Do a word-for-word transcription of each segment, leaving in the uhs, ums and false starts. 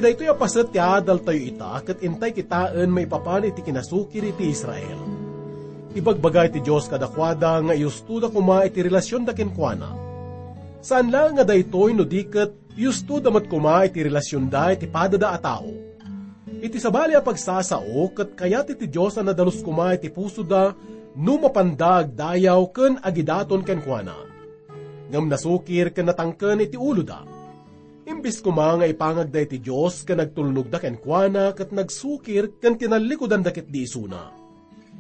Daytoy a paset ti adaltayo ita ket intay kitaen maipapan iti kinasukir iti Israel. Ibagbaga iti Dios kadakuada nga iustoda koma iti relasionda kenkuana. Saan laeng nga daytoy no di ket iustoda met koma iti relasionda iti padada a tao. Iti sabali a pagsasao, ket kayat iti Dios a nadalus koma iti pusoda no mapanda agdayaw ken agidaton kenkuana. Ngem nasukir ken natangken iti uloda. Imbes koma nga ipangagda iti Dios ken agtulnogda kenkuana ket nagsukir ken tinallikudanda ketdi isuna.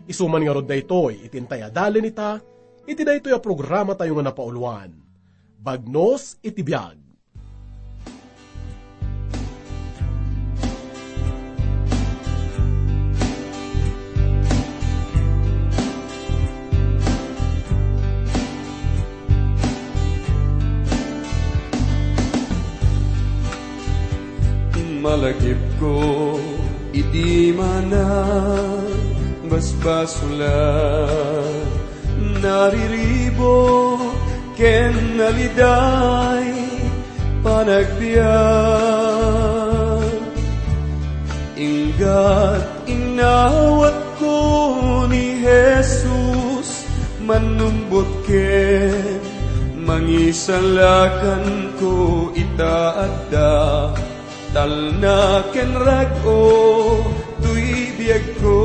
Isu man ngarud daytoy iti intay a dalin ita iti daytoy a programatayo nga napauluan, Bagnos iti Biag. Malagipko iti mana basbasulan, nariribo ken naliday panagbiag. Inggat inawatko ni Jesus, mannumbot ken mangisalakanko ita adda. Talna ken rag-o toy biagko.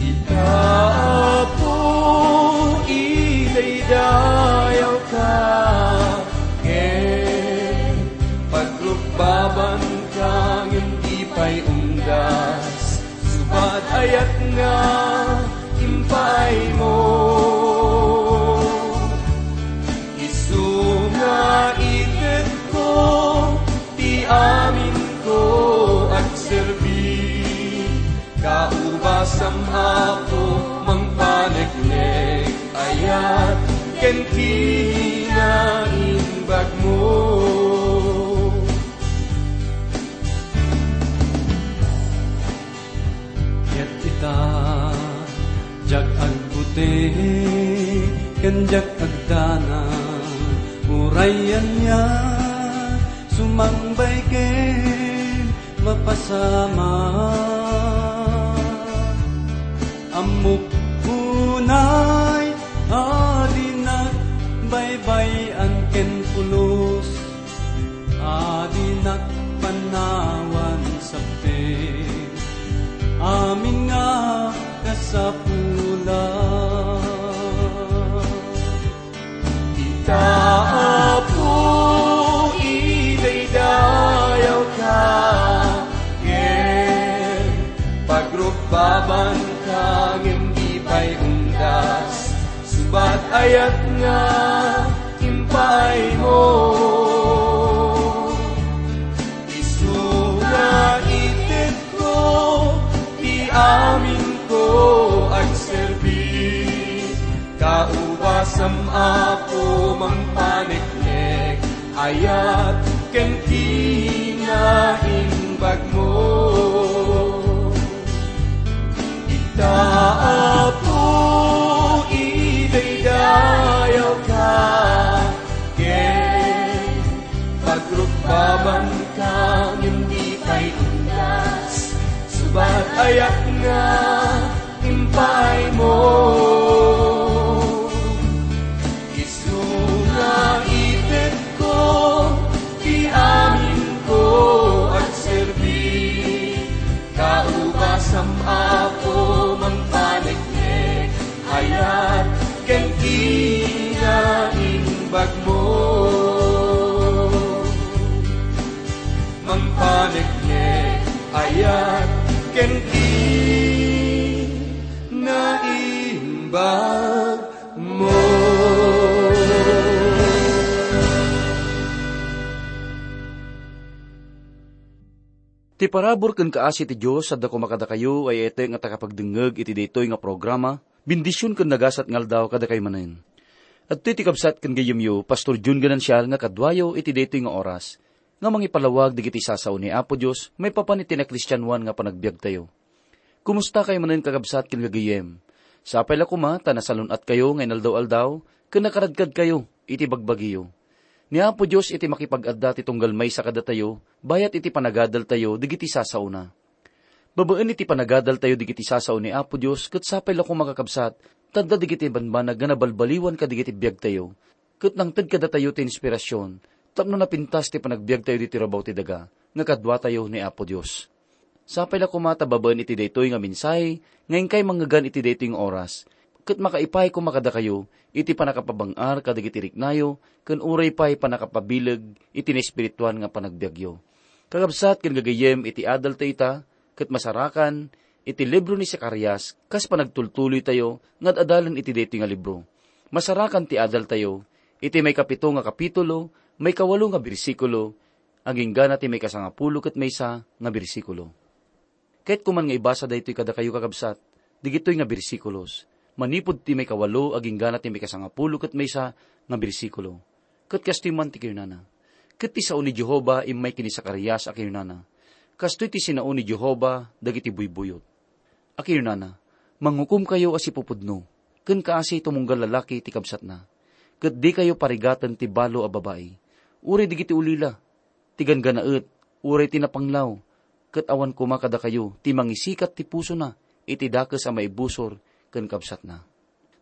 Ita, Apo, idaydayawka, ken pagrukbabanka ngem di pay unggas. Subat ayat nga impaaymo. Isu nga itedko ti aminko agserbi. Kaubasam, Apo, mangpaneknek, ayat ken kinaimbagmo. Ket ita, diak agbuti ken diak agdanag, uray ania sumangbay ken mapasamak. Ammok unay a dinak baybay-an ken pulos, a dinak panawan sappi amin nga kasapulan. Ita, Apo, idaydayawka, ken pagrukbabanka, ngem di pay unggas. Subat ayat nga impaaymo. Isu nga itedko ti aminko agserbi. Kaubasam, Apo, mangpaneknek, ayat ken kinaimbagmo. Ita, Apo, idaydayawka, ken pagrukbabanka, ngem di pay unggas. Subat ayat nga impaaymo. Isu nga itedko ti aminko agserbi. Kaubasam, Apo, mangpaneknek, ayat ken kinaimbagmo. Mangpaneknek, ayat ken kinaimbagmo. Ti parabur ken kaasi ti Dios adda koma kadakayo a yayatek nga takapagdengngeg iti daytoy nga programa. Bendision ken nagasat nga aldaw kadakayo manen. Adtoy ti kabsat ken gayyemyo, Pastor Jun Ganancial, nga kaduayo iti daytoy nga oras nga mangipalawag dagiti sasao ni Apo Dios maipapan iti nakristianoan nga panagbiagtayo. Kumustakayo manen, kakabsat ken gagayyem? Sapay la koma ta nasalun-atkayo nga inaldaw-aldaw ken nakaradkadkayo iti bagbagiyo. Ni Apo Dios iti makipag-adda ti tunggal maysa kadatayo, bayat iti panagadaltayo dagiti sasaona. Babaen iti panagadaltayo dagiti sasao ni Apo Dios, ket sapay la koma, kakabsat, ta adda dagiti banbanag nga nabalbaliwan kadagiti biagtayo, ket nangted kadatayo ti inspirasyon tapno napintas ti panagbiagtayo ditoy rabaw ti daga nga kaduatayo ni Apo Dios. Sapay la koma ta babaen iti daytoy nga mensahe nga inkay mangngegana iti daytoy nga oras, ket makaipay koma kadakayo iti pannakapabang-ar kadagiti riknayo ken uray pay pannakapabileg iti naespirituan nga panagbiagyo. Kakabsat ken gagayyem, iti adaltayo ita ket masarakan iti libro ni Zacarias kas panagtultuloytayo nga ad-adalen iti daytoy nga libro. Masarakan ti adaltayo iti maikapito nga kapitulo, maikawalo nga bersikulo, agingga na ti maikasangapulo ket maysa nga bersikulo. Kayatko man nga ibasa daytoy kadakayo, kakabsat, dagitoy nga bersikulos, manipud ti maikawalo agingga na ti maikasangapulo ket maysa nga bersikulo. Ket kastoy man ti kinunana, "Ket ti sao ni Jehovah immay ken ni Zacarias a kinunana, 'Kastoy ti sinao ni Jehovah dagiti buybuyot.'" A kinunana, "Manghukomkayo a sipupudno, ken kaasi tumunggal lalaki ti kabsatna, ket dikayo parigaten ti balo a babai, uray dagiti ulila, ti ganggannaet, uray ti napanglaw, ket awan koma kadakayo ti mangisikat ti pusona iti dakes a maibusor ken kabsatna."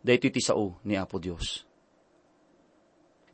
Daytoy ti sao ni Apo Dios.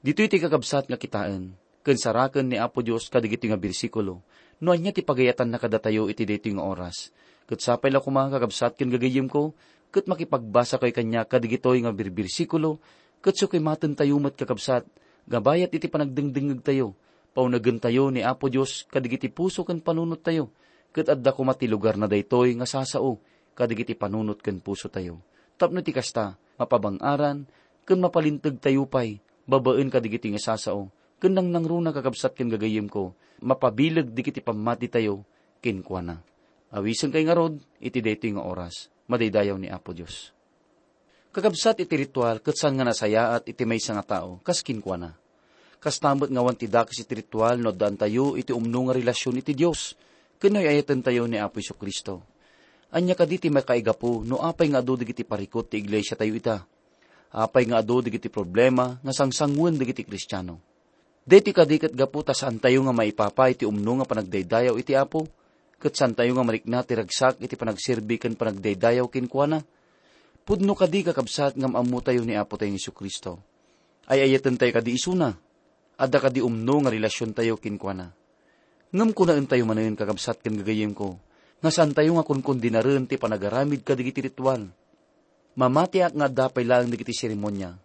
Ditoy ti kakabsat nga kitaen ken saraken ni Apo Dios kadagitoy nga bersikulo no ania ti pagayatanna kadatayo iti daytoy nga oras. Ket sapay la koma, kakabsat ken gagayyemko, ket makipagbasakayo kaniak kadagitoy nga birbirsikulo, ket sukimatentayo met, kakabsat, nga bayat iti panagdengdengngegtayo, paunegentayo ni Apo Dios kadagiti puso ken panunottayo, ket adda koma ti lugarna daytoy nga sasao kadagiti panunot ken pusotayo. Tapno ti kasta, mapabang-aran ken mapalintegtayo pay babaen kadagiti nga sasao, ken nangnangruna, kakabsat ken gagayyemko, mapabileg dagiti pammatitayo kenkuana. Awisenkay ngarud iti daytoy nga oras. Madaydayaw ni Apo Dios. Kakabsat, iti ritual ket saan nga nasayaat iti maysa nga tao kas kenkuana. Kasta met nga awan ti dakes iti ritual no addaantayo iti umno nga relasion iti Dios ken no ay-ayatentayo ni Apo Jesu-Cristo. Ania kadi ti makaigapu no apay nga adu dagiti parikut ti iglesiatayo ita? Apay nga adu dagiti problema nga sangsangoen dagiti Kristiano? Daytoy kadi ket gapu ta saantayo nga maipapay ti umno nga panagdaydayaw iti Apo, ket saantayo nga marikna ti ragsak iti panagserbi ken panagdaydayaw kenkuana? Pudno kadi, kakabsat, ngem ammotayo ni Apotayo Jesu-Cristo. Ay-ayatentayo kadi isuna? Adda kadi umno nga relasiontayo kenkuana? Ngem kunaentayo manen, kakabsat ken gagayyemko, nga saantayo nga konkondenaren ti panagaramid kadagiti ritual. Mamatiak nga adda pay laeng dagiti seremonia.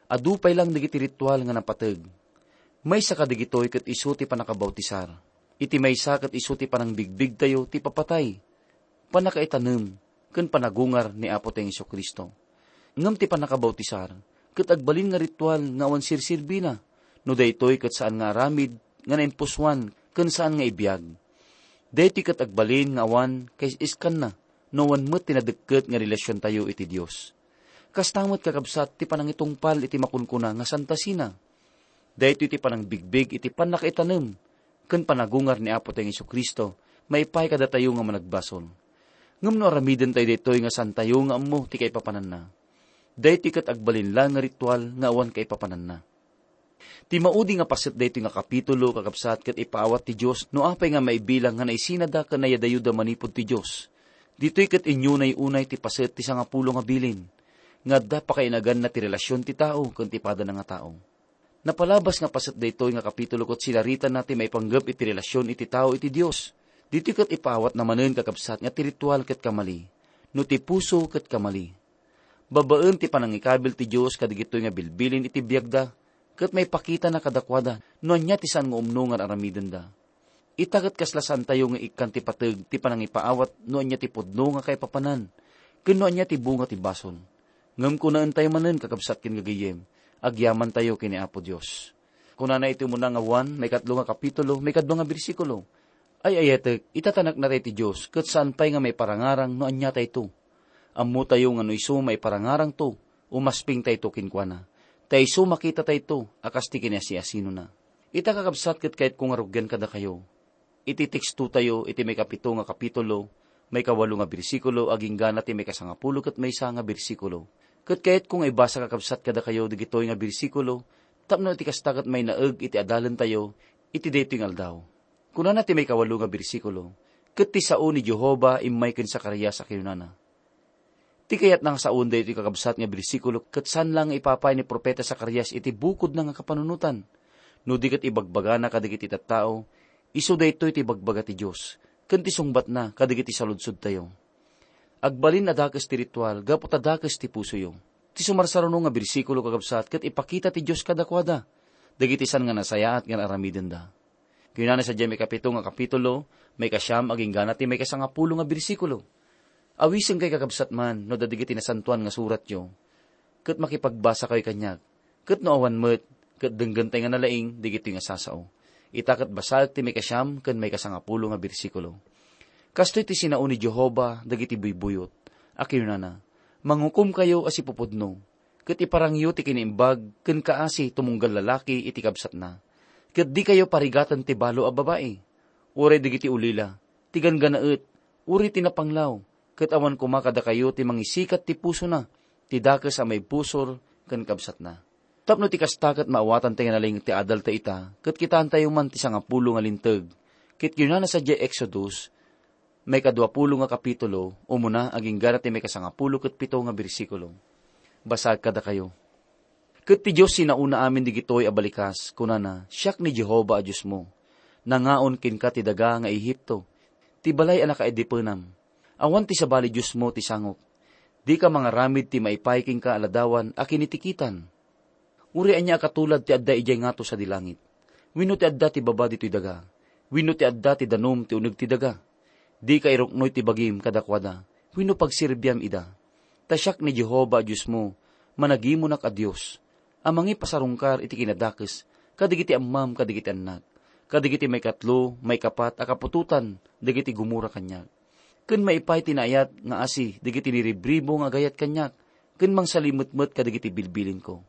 Adu pay laeng dagiti ritual nga napateg. Maysa kadagitoy ket isu ti pannakabautisar. Iti maysa ket isu ti panangbigbigtayo ti ipapatay, pannakaitanem, ken panagungar ni Apotayo Jesu-Cristo. Ngem ti pannakabautisar ket agbalin nga ritual nga awan serserbina, no daytoy ket saan nga aramid nga naimpusoan ken saan nga ibiag. Daytoy ket agbalin nga awan kaisiskanna no awan met ti nadekket nga relasiontayo iti Dios. Kasta met, kakabsat, ti panangitungpal iti makunkuna nga Santa Cena. Daytoy ti panangbigbig iti pannakaitanem ken panagungar ni Apotayo Jesu-Cristo maipaay kadatayo nga managbasol. Ngem no aramidentayo daytoy nga saantayo nga ammo ti kaipapananna, daytoy ket agbalin laeng nga ritual nga awan kaipapananna. Ti maudi nga paset daytoy nga kapitulo, kakabsat, ket ipaawat ti Dios no apay nga maibilang nga naisinada ken naiyadayuda manipud ti Dios. Ditoy ket inyunay unay ti paset ti sangapulo nga bilin, nga adda pakainaganna ti relasion ti tao ken ti padana nga tao. Napalabas nga paset daytoy nga kapitulo ket sinaritana ti maipanggep iti relasion iti tao iti Dios. Ditoy ket ipaawatna manen, kakabsat, nga ti ritual ket kamali, no ti puso ket kamali. Babaen ti panangikabil ti Dios kadagitoy nga bilbilin iti biagda, ket maipakitana kadakuada no ania ti saan nga umno nga aramidenda. Ita ket kasla saantayo nga ikkan ti pateg ti panangipaawat no ania ti pudno nga kaipapanan, ken no ania ti bunga ti basol. Ngem kunaentayo manen, kakabsat ken gagayyem, agyamantayo ken ni Apo Dios. Kunana iti umuna nga Juan, maikatlo nga kapitulo, maikadua nga bersikulo, "Ay-ayatek, ita ta naknatay ti Dios, ket saan pay nga maiparangarang no aniatayto. Ammotayo nga no isu maiparangarangto, umaspingtayto kenkuana. Ta isu makitatayto a kas ti kinasiasinona." Ita, kakabsat, ket kayatko nga rugian kadakayo iti tekstotayo iti maikapito nga kapitulo, maikawalo nga bersikulo, agingga na ti maikasangapulo ket maysa nga bersikulo. Ket kayatko nga ibasa, kakabsat, kadakayo dagitoy nga bersikulo Tapno iti kasta ket mainaeg iti adalentayo iti daytoy nga aldaw. Kunana ti maikawalo nga bersikulo, "Ket ti sao ni Jehovah immay ken Zacarias a kinunana." Ti kayatna nga saoen daytoy kakabsat nga bersikulo ket saan la nga ipapay ni profeta Zacarias iti bukodna nga kapanunotan. No di ket ibagbagana kadagiti tattao, isu daytoy ti ibagbaga ti Dios, ken ti sungbatna kadagiti saludsodtayo. Agbalin a dakes ti ritual gapu ta dakes ti pusoyo. Ti sumarsaruno nga bersikulo, kakabsat, ket ipakita ti Dios kadakuada dagiti saan nga nasayaat nga aramidenda. Kinunana sadiay maikapito nga kapitulo, maikasiam agingga ti maikasangapulo nga bersikulo. Awisenka, kakabsat, man no adda dagiti nasantoan nga suratyo, ket makipagbasakayo kaniak. Ket no awan met, ket denggentay nga nalaing dagitoy nga sasao. Ita ket basaek ti maikasiam ken maikasangapulo nga bersikulo. Kastoy ti sinao ni Jehovah dagiti buybuyot a kinunana, "Mangukomkayo a sipupudno, ket iparangyo ti kinaimbag ken kaasi tumunggal lalaki iti kabsatna. Ket dikayo parigaten ti balo a babai, uray dagiti ulila, ti ganggannaet, uray ti napanglaw, ket awan koma kadakayo ti mangisikat ti pusona, ti dakes a maibusor ken kabsatna." Tapno ti kasta ket maawatan ti nga nalaing ti adalta ita, ket kitaentayo man ti sangapulo nga linteg. Ket kinunana sadiay Exodus, maikaduapulo nga kapitulo, umuna agingga ti maikasangapulo ket pito nga bersikulo. Basaek kadakayo. Ket ti Dios sinaona amin digitoy a balikas, kunana, "Siak ni Jehovah a Diosmo. Nangaon kenka ti daga nga Egipto, ti balay a nakaadipenam. Awan ti sabali diosmo ti sangok. Dika mangaramid ti maipay kenka a ladawan a kinitikitan. Uray ania a katulad ti adda idiay ngato sadi langit, wenno ti adda ti baba ditoy daga, wenno ti adda ti danum ti uneg ti daga. Dika iruknoy ti bagim kadakuada, wenno pagserbiam ida. Ta siak ni Jehovah a Diosmo, managimonak a Dios, a mangipasarungkar iti kinadakes kadagiti ammam kadagiti annak, kadagiti maikatlo, maikapat a kaputotan dagiti gumura kaniak, ken maipay ti naayat nga asi dagiti niribribo nga agayat kaniak, ken mangsalimetmet kadagiti bilbilinko.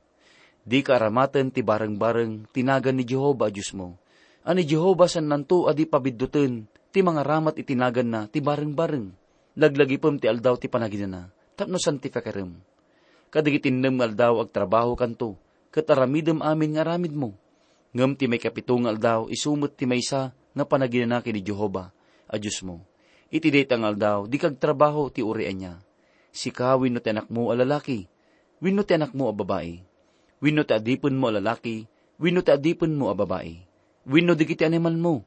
Dika aramaten ti barengbareng ti nagan ni Jehovah a Diosmo, a ni Jehovah saannanto a di pabiddoten ti mangaramat iti naganna ti barengbareng. Laglagipem ti aldaw ti panaginana, tapno santifikarem. Kadagiti innem nga aldaw agtrabahokanto, ket aramidem amin nga aramidmo. Ngem ti maikapito nga aldaw, isu met ti maysa nga panaginana ken ni Jehovah a Diosmo. Iti dayta nga aldaw, dika agtrabaho ti uray ania. Sika wenno ti anakmo a lalaki, wenno ti anakmo a babai, wenno ti adipenmo a lalaki, wenno ti adipenmo a babai, wenno dagiti animalmo,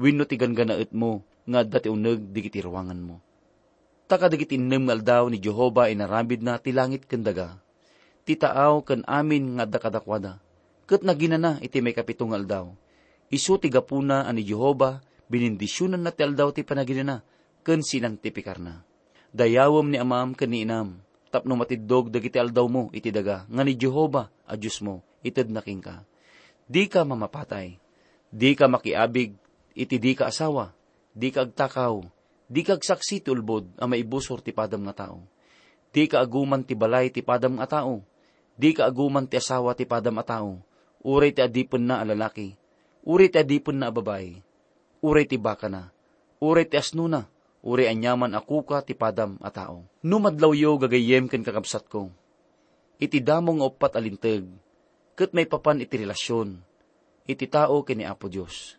wenno ti ganggannaetmo nga adda ti uneg dagiti ruanganmo. Ta kadagiti innem nga aldaw ni Jehovah inaramidna ti langit ken daga, ti taaw ken amin nga adda kadakuada, ket naginana iti maikapito nga aldaw. Isu ti gapuna a ni Jehovah, binindisionanna ti aldaw ti panaginana ken sinantifikarna. Dayawem ni amam ken ni inam, tapno matiddog dagiti aldawmo iti daga nga ni Jehovah a Diosmo itedna kenka. Dika mamapatay. Dika makiabig iti dika asawa. Dika agtakaw. Dika agsaksi ti ulbod a maibusor ti padam nga tao. Dika aguman ti balay ti padam nga tao. Dika aguman ti asawa ti padam a tao, uray ti adipenna a lalaki, uray ti adipenna a babai, uray ti bakana, uray ti asnona, uray aniaman a kuka ti padam a tao. No madlawyo, gagayyem ken kakabsatko, iti damo nga uppat a linteg, ket maipapan iti relasion iti tao ken ni Apo Dios.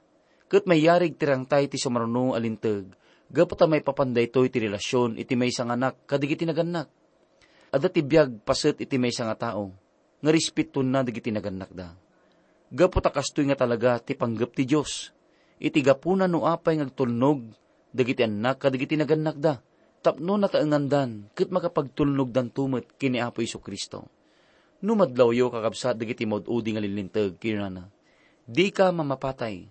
Ket mayarig ti rangtay ti sumaruno a linteg, gapu ta maipapan daytoy ti relasion iti maysa nga anak kadagiti nagannak. Adda ti biag paset iti maysa nga tao nga respetonna dagiti nagannakda. Gapu ta kastoy nga talaga ti panggep ti Dios, iti gapuna no apay nga agtulnog dagiti annak kadagiti nagannakda, tapno nataengandan ket makapagtulnogdanto met ken ni Apo Jesu-Cristo. No madlawyo, kakabsat, dagiti maud-udi nga linlinteg, kinunana, "Dika mamapatay,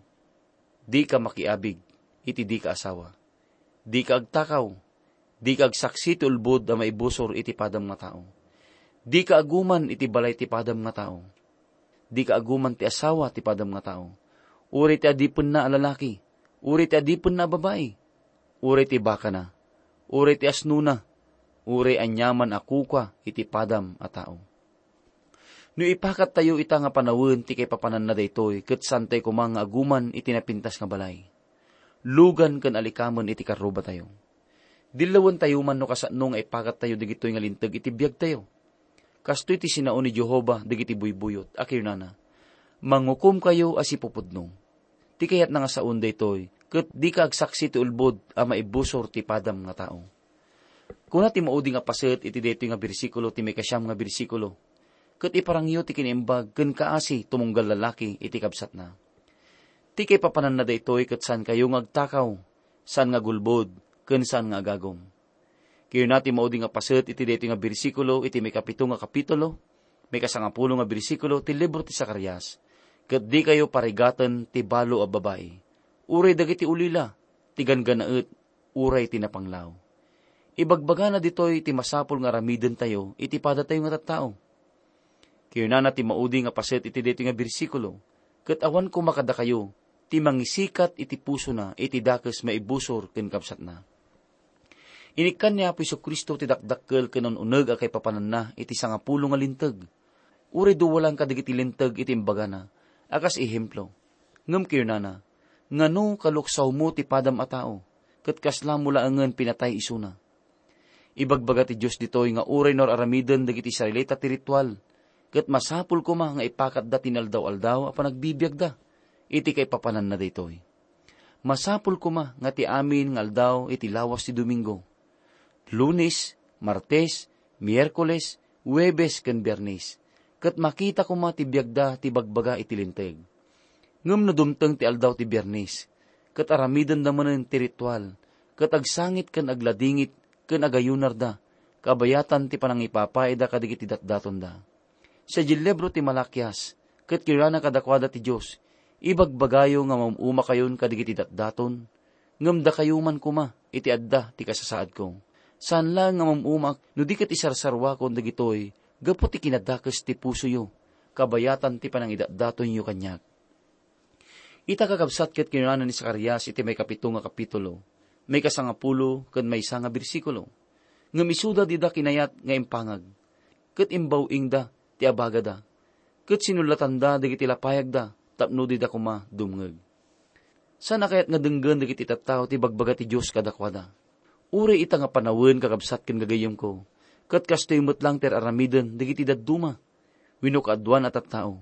dika makiabig iti dika asawa, dika agtakaw, dika agsaksi ti ulbod a maibusor iti padam nga tao, dika aguman iti balay ti padam nga tao, dika aguman ti asawa ti padam nga tao, uray ti adipenna a lalaki, uray ti adipenna a babai, uray ti bakana, uray ti asnona, uray aniaman a kuka iti padam a tao." No ipakattayo ita nga panawen ti kaipapananna daytoy, ket saantayo koma nga aguman iti napintas nga balay. Lugan ken alikamen iti karrubatayo. Dillawentayo man no kasano nga ipakattayo dagitoy nga linteg iti biagtayo. Kastoy ti sinao ni Jehovah dagiti buybuyot a kinunana, mangukomkayo a sipupudno. Ti kayatna nga saon daytoy, ket dika agsaksi ti ulbod a maibusor ti padam nga tao. Kuna ti maudi nga paset iti daytoy nga bersikulo ti maikasiam nga bersikulo, "Ket iparangyo ti kinaimbag ken kaasi tumunggal lalaki iti kabsatna." Ti kaipapananna daytoy ket saankayo nga agtakaw, saan nga agulbod, ken saan nga agagum. Kinuna ti maudi nga paset iti daytoy nga bersikulo iti maikapito nga kapitulo, maikasangapulo nga bersikulo ti libro ti Zacarias, "Ket dikayo parigaten ti balo a babai, uray dagiti ulila, ti ganggannaet, uray ti napanglaw." Ibagbagana ditoy ti masapul nga aramidentayo iti padatayo nga tattao. Kinunana ti maudi nga paset iti daytoy nga bersikulo, "Ket awan koma kadakayo ti mangisikat iti pusona iti dakes maibusor ken kabsatna." Inikkan ni Apo Jesu-Cristo ti dakdakkel ken un-uneg a kaipapananna iti sangapulo nga linteg. Uray duwa laeng kadagiti linteg iti imbagana a kas ehemplo. Ngem kinunana, "Ngano kaluksawmo ti padam a tao, ket kasla mo laengen pinatay isuna?" Ibagbaga ti Dios ditoy nga uray no ar-aramiden dagiti Israelita ti ritual, ket masapul koma nga ipakatda ti inaldaw-aldaw a panagbibiagda iti kaipapananna daytoy. Masapul koma nga ti amin nga aldaw iti lawas ti Domingo, Lunes, Martes, Miyerkules, Huwebes, ken Biernes, ket makita koma ti biagda ti ibagbaga iti Linteg. Ngem no dumteng ti aldaw ti Biernes, ket aramidenda manen ti ritual, ket agsangit ken agladingit ken agayunarda, kabayatan ti panangipapaayda kadagiti datdatonda. Sadiay libro ti Malakias, ket kinunana kadakuada ti Dios, "Ibagbagayo nga maum-umakayon kadagiti datdaton, ngem dakayo man koma iti adda ti kasasaadko. Saan laeng nga maum-umak no di ket isarsaruakon dagitoy gapu ti kinadakes ti pusoyo, kabayatan ti panangidatdatonyo kaniak." Ita, kakabsat, ket kinunana ni Zacarias iti maikapito nga kapitulo, maikasangapulo ken maysa nga bersikulo, ngem isuda dida kinayat nga impangag, ket imbaw-ingda ti abagada, ket sinullatanda dagiti lapayagda tapno dida koma dumngeg. Saan a kayat nga denggen dagiti tattao ti ibagbaga ti Dios kadakuada. Uray ita nga panawen, kakabsat ken gagayyemko, ket kastoy met laeng ti ar-aramiden dagiti dadduma wenno kaaduan a tattao.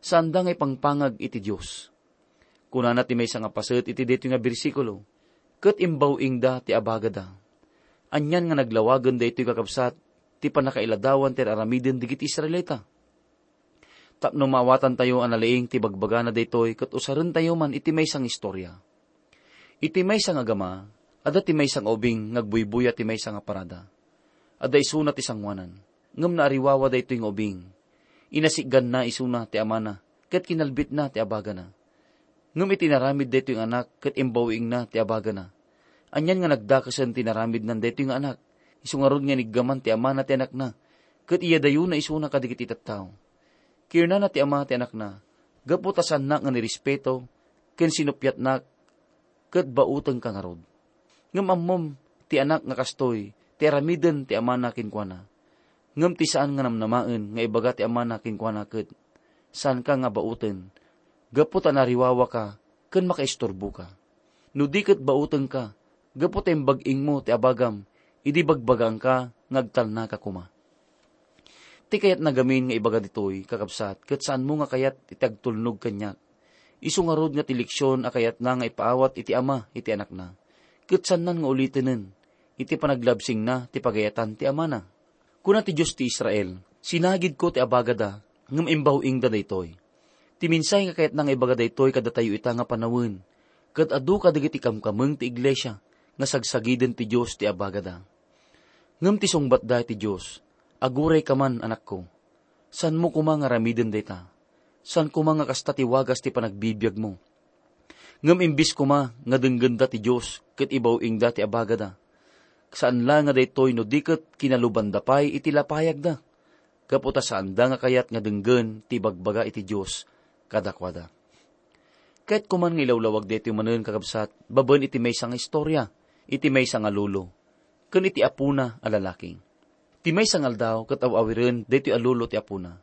Saanda nga ipangpangag iti Dios. Kunana ti maysa nga paset iti daytoy nga bersikulo, "Ket imbaw-ingda ti abagada." Anian nga naglawagen daytoy, kakabsat, ti pannakailadawan ti ar-aramiden dagiti Israelita. Tapno maawatantayo a nalaing ti bagbagana daytoy ket usarentayo man iti maysa nga istorya. Iti maysa nga agama, adda ti maysa nga ubing nga agbuybuya ti maysa nga parada. Adda isuna ti sangoanan, ngem naariwawa daytoy nga ubing. Inasitganna isuna ti amana ket kinalbitna ti abagana. Ngem iti inaramid daytoy nga anak ket imbaw-ingna ti abagana. Anian nga nagdakesen ti inaramidnan daytoy nga anak, isu ngarud nga iniggaman ti amana ti anakna, ket iyadayona isuna kadagiti tattao. Kinunana ti ama ti anakna, "Gapu ta saannak nga nirespeto ken sinuppiatnak, ket bautengka ngarud." Ngem ammom ti anak nga kastoy ti aramiden ti amana kenkuana. Ngem ti saan nga namnamaen nga ibaga ti amana kenkuana ket, "Saanka nga bauten, gapu ta nariwawaka ken makaisturboka. No di ket bautengka, gapu ta imbag-ingmo ti abagam idi bagbagaanka nga agtalnaka koma." Ti kayatna gamin nga ibaga ditoy, kakabsat, ket saanmo nga kayat iti agtulnog kaniak. Isu ngarud nga ti leksion a kayatna nga ipaawat iti ama iti anakna, ket saannan nga ulitenen iti panaglabsingna ti pagayatan ti amana. Kuna ti Dios ti Israel, "Sinagidko ti abagada, ngem imbaw-ingda daytoy." Ti mensahe nga kayatna nga ibaga daytoy kadatayo ita nga panawen, ket adu kadagiti kamkameng ti iglesia nga sagsagiden ti Dios ti abagada. Ngem ti sungbatda iti Dios, "Agurayka man, anakko. Saanmo koma nga aramiden dayta. Saan koma nga kasta ti wagas ti panagbibiagmo." Ngem imbes koma nga denggenda ti Dios ket ibaw-ingda ti abagada, saan la nga daytoy no di ket kinalubanda pay iti lapayagda, gapu ta saanda nga kayat nga denggen ti ibagbaga iti Dios kadakuada. Kayatko man nga ilawlawag daytoy manen, kakabsat, babaen iti maysa nga istorya, iti maysa nga lolo, ken iti apona a lalaki. Ti maysa nga aldaw ket aw-awiren daytoy a lolo ti apona.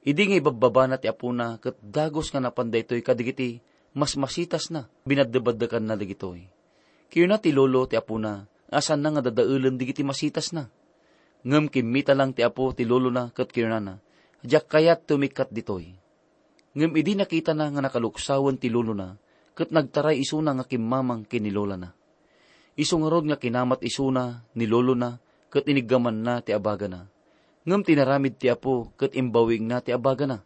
Idi nga ibabbabana ti apona ket dagus nga napan daytoy kadagiti masmasitasna, binaddebaddekanna dagitoy. Kinuna ti lolo ti apona a saanna nga dadaelen dagiti masitasna. Ngem kimmita lang ti apo ti lolona ket kinunana, "Diak kayat ti umikkat ditoy." Ngem idi nakitana nga nakaluksawen ti lolona, ket nagtaray isuna nga kimmamang ken ni lolana. Isu ngarud nga kinamat isuna ni lolona ket iniggamanna ti abagana. Ngem tinaramid ti apo ket imbawigna ti abagana.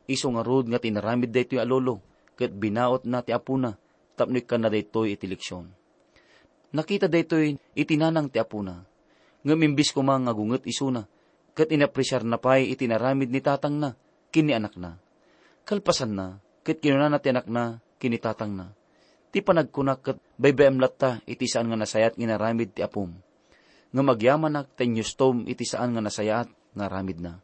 Isu ngarud nga tinaramid daytoy a lolo ket binautna ti apona tapno ikkanna daytoy iti leksion. Nakita daytoy iti nanang ti apona, ngem imbes koma nga gunget isuna, ket inapresiarna pay iti inaramid ni tatangna ken ni anakna. Kalpasanna, ket kinunana ti anakna ken ni tatangna, "Ti panagkunak ket baybay-am latta iti saan nga nasayaat nga inaramid ti apom. Ngem agyamanak ta inyustom iti saan nga nasayaat nga aramidna."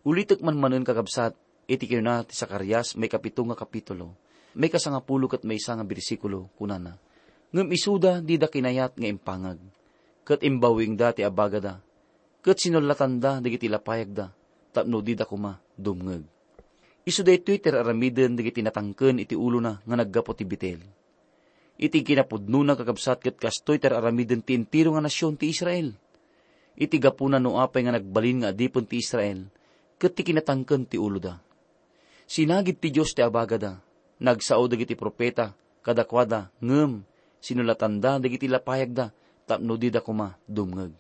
Ulitek man manen, kakabsat, iti kinuna ti Zacarias, maikapito nga kapitulo, maikasangapulo ket maysa nga bersikulo, kunana, "Ngem isuda dida kinayat nga impangag, ket imbawingda ti abagada, ket sinullatanda dagiti lapayagda, tapno dida koma dumngeg." Isu daytoy ti ar-aramiden dagiti natangken iti ulona nga naggapu ti Betel. Iti kinapudnona, kakabsat, ket kastoy ti ar-aramiden ti entero nga nasion ti Israel. Iti gapuna no apay nga nagbalin nga adipen ti Israel, ket ti kinatangken ti uloda. Sinagid ti Dios ti abagada, nagsao dagiti profeta kadakuada, ngem sinulatanda dagiti lapayagda tapno dida koma dumngeg.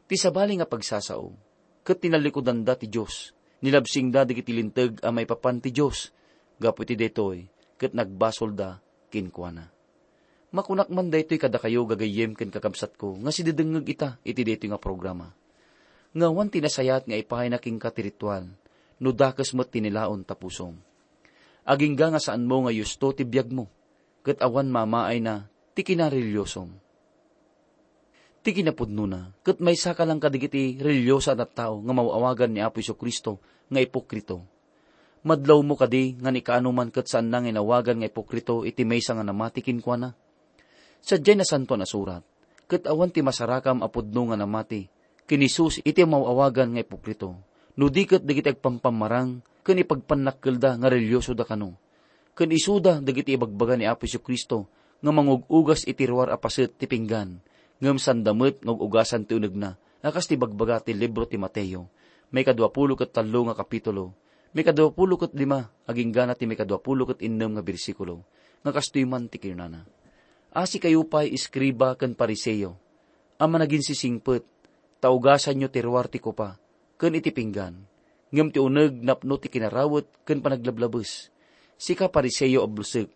Ti sabali nga pagsasao, ket tinallikudanda ti Dios, nilabsingda dagiti linteg a maipapan ti Dios. Gapu iti daytoy, ket nagbasolda kenkuana. Makunak man daytoy kadakayo, gagayyem ken kakabsatko, nga sididengngeg ita iti daytoy nga programa, nga awan ti nasayaat nga ipayna kenka ti ritual, no dakes met ti nilaon ta pusom. Agingga nga saanmo nga yusto ti biagmo, ket awan mamaayna ti kinarelihiosom. Ti kinapudnona, ket maysaka lang kadagiti relihioso a tattao nga maw-awagan ni Apo Jesu-Cristo nga ipokrito. Madlawmo kadi nga ni kaano man ket saanna nga inawagan nga ipokrito iti maysa nga namati kenkuana? Sadiay Nasantoan a Surat, ket awan ti masarakam a pudno nga namati ken Jesus iti maw-awagan nga ipokrito, no di ket dagiti agpampammarang ken ipagpannakkelda nga relihiosoda kano. Ken isuda dagiti ibagbaga ni Apo Jesu-Cristo nga mangug-ugas iti ruar a paset ti pinggan, ngem sanda met nga ug-ugasan ti unegna, a kas ti ibagbaga ti libro ti Mateo, maikadua pulo ket tallo nga kapitulo, maikadua pulo ket lima, aginggana ti maikadua pulo ket innem nga bersikulo, nga kastoy man ti kinunana, "Asikayo pay, eskriba ken Fariseo, a managinsisingpet, ta ugasanyo ti ruar ti kopa ken iti pinggan, ngem ti uneg napno ti kinarawet ken panaglablabes. Sika, Fariseo a bulsek,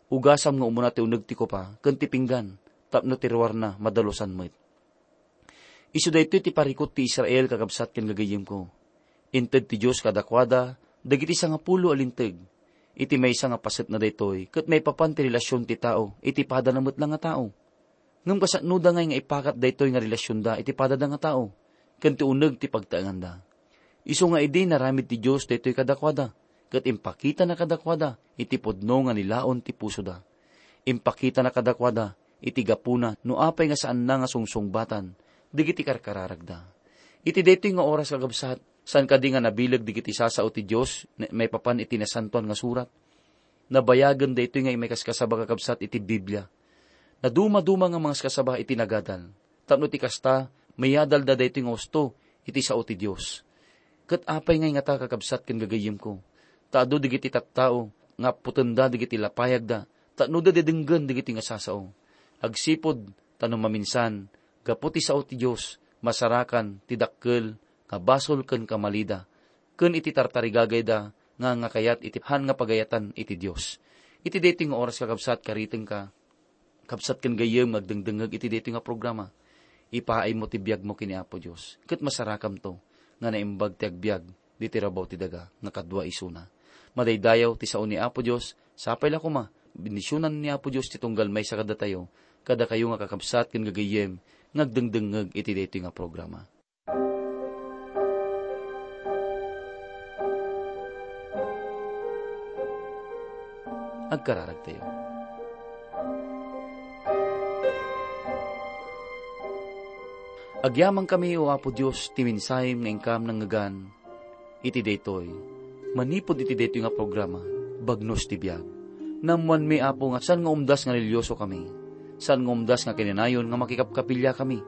ugasam nga umuna ti uneg ti kopa ken ti pinggan, tapno ti ruarna madalusan met." Isu daytoy ti parikut ti Israel, kakabsat ken gagayyemko. Inted ti Dios kadakuada dagiti sangapulo a linteg. Iti maysa nga pasetna daytoy, ket maipapan ti relasion ti tao iti padana met la nga tao. Ngem kasanoda ngay nga ipakat daytoy nga relasionda iti padada nga tao, ken ti uneg ti pagtaenganda? Isu nga idi naramid ti Dios daytoy kadakuada, ket impakitana kadakuada iti pudno nga nilaon ti pusoda. Impakitana kadakuada iti gapuna no apay nga saanna nga sungsungbatan dagiti karkararagda. Iti daytoy nga oras, kakabsat, saan kadi nga nabileg dagiti sasao ti Dios ne-, maipapan iti Nasantoan nga Surat? Nabayagen daytoy nga maikaskasaba, kakabsat, iti Biblia. Nadumaduma nga mangaskasaba iti nagadal, tapno ti kasta, mayadalda daytoy nga usto iti sao ti Dios. Ket apay ngay ngata, kakabsat ken gagayyemko, ta adu dagiti tattao nga apputenda dagiti lapayagda tapno dadedenggen dagiti nga sasao? Agsipud ta no maminsan, gapu ti sao ti Dios, masarakan ti dakkel nga basol ken kamalida, ken iti tartarigagayda nga angakayat iti han nga pagayatan iti Dios. Iti daytoy nga oras, kakabsat, karitengka, kabsat ken gayyem nga agdengdengngeg iti daytoy nga programa, ipaaymo ti biagmo ken ni Apo Dios, ket masarakamto nga naimbag ti agbiag diti rabaw ti daga nga kadua isuna. Madaydayaw ti sao ni Apo Dios, sapay la koma, bendisionan ni Apo Dios ti tunggal maysa kadatayo, kadakayo nga kakabsat ken gagayyem nga agdengdengngeg iti daytoy nga programa. Agkararagtayo. Agyamankami, O Apo Dios, ti mensahem nga inkam nangngegan iti daytoy. Manipud iti daytoy nga programa, Bagnos ti Biag. Naammoanmi, Apo, nga saan nga umdas nga relihioso kami. Saan nga umdas nga kinanayon nga makikapkapiliakami.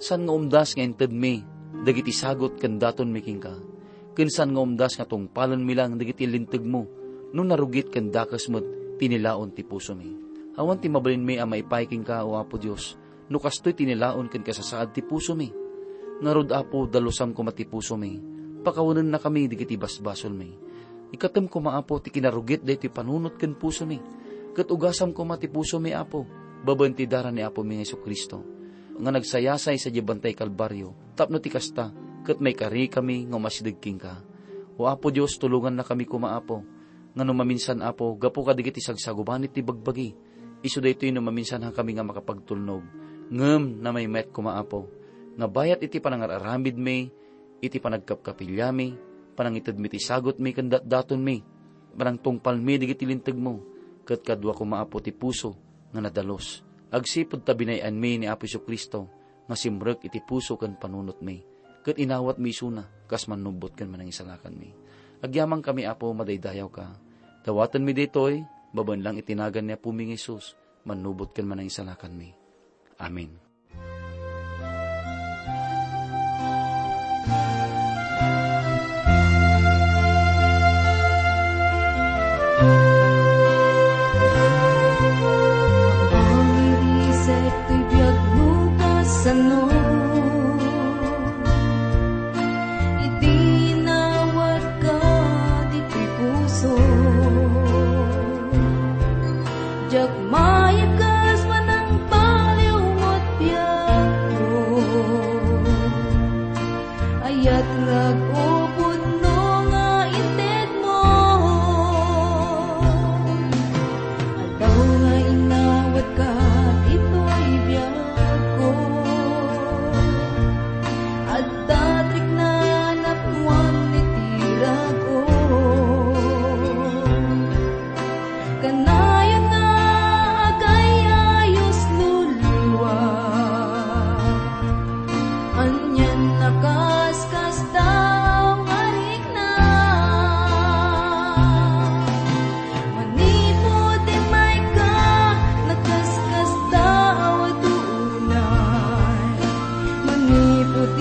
Saan nga umdas nga intedmi dagiti sagut ken datonmi kenka. Ken saan nga umdas nga tungpalenmi lang dagiti lintegmo no narugit ken dakes met ti nilaon ti pusomi. Awan ti mabalinmi a maipaay kenka, O Apo Dios, no kastoy ti nilaon ken kasasaad ti pusomi. Ngarud, Apo, dalusam koma ti pusomi. Pakawanennakami dagiti basbasolmi. Ikkatem koma, Apo, ti kinarugit daytoy panunot ken pusomi. Ket ugasam koma ti pusomi, Apo, babaen ti dara ni Apomi nga Jesu-Cristo, nga nagsayasay sadiay bantay Kalbario, tapno ti kasta, ket maikarikami nga umasideg kenka. O Apo Dios, tulongannakami koma, Apo, nga no maminsan, Apo, gapu kadagiti sagsagubanit ti bagbagi, isu daytoy no maminsan hankami nga makapagtulnog, ngem namaymayat koma, Apo, nga bayat iti panangar-aramidmi, iti panagkapkapiliami, panangitedmi ti sagutmi ken datdatonmi, panangtungpalmi dagiti lintegmo, ket kadua koma, Apo, ti puso nga nadalus, agsipud ta binay-anmi ni Apo Jesu-Cristo nga simrek iti puso ken panunotmi, ket inawatmi isuna kas mannubbot ken manangisalakanmi. Agyamankami, Apo, madaydayawka. Dawatenmi daytoy babaen lang iti nagan ni Apomi nga Jesus, mannubot ken manangisalakanmi. Amen. Mangiriset toy biagmo kasano, idi inawatka ditoy puso. Diak mayakas manang baliw met biagko. Ayat nga agupod no nga integmo. Aldaw nga inawatka ditoy biagko. Adda ti rikna napnuan iti rag-o. Kanayon nga agay-ayos no liwat. Anian a kaskasdaaw nga rikna. Manipud immayka, nakaskasdaaw a tunay. Manipud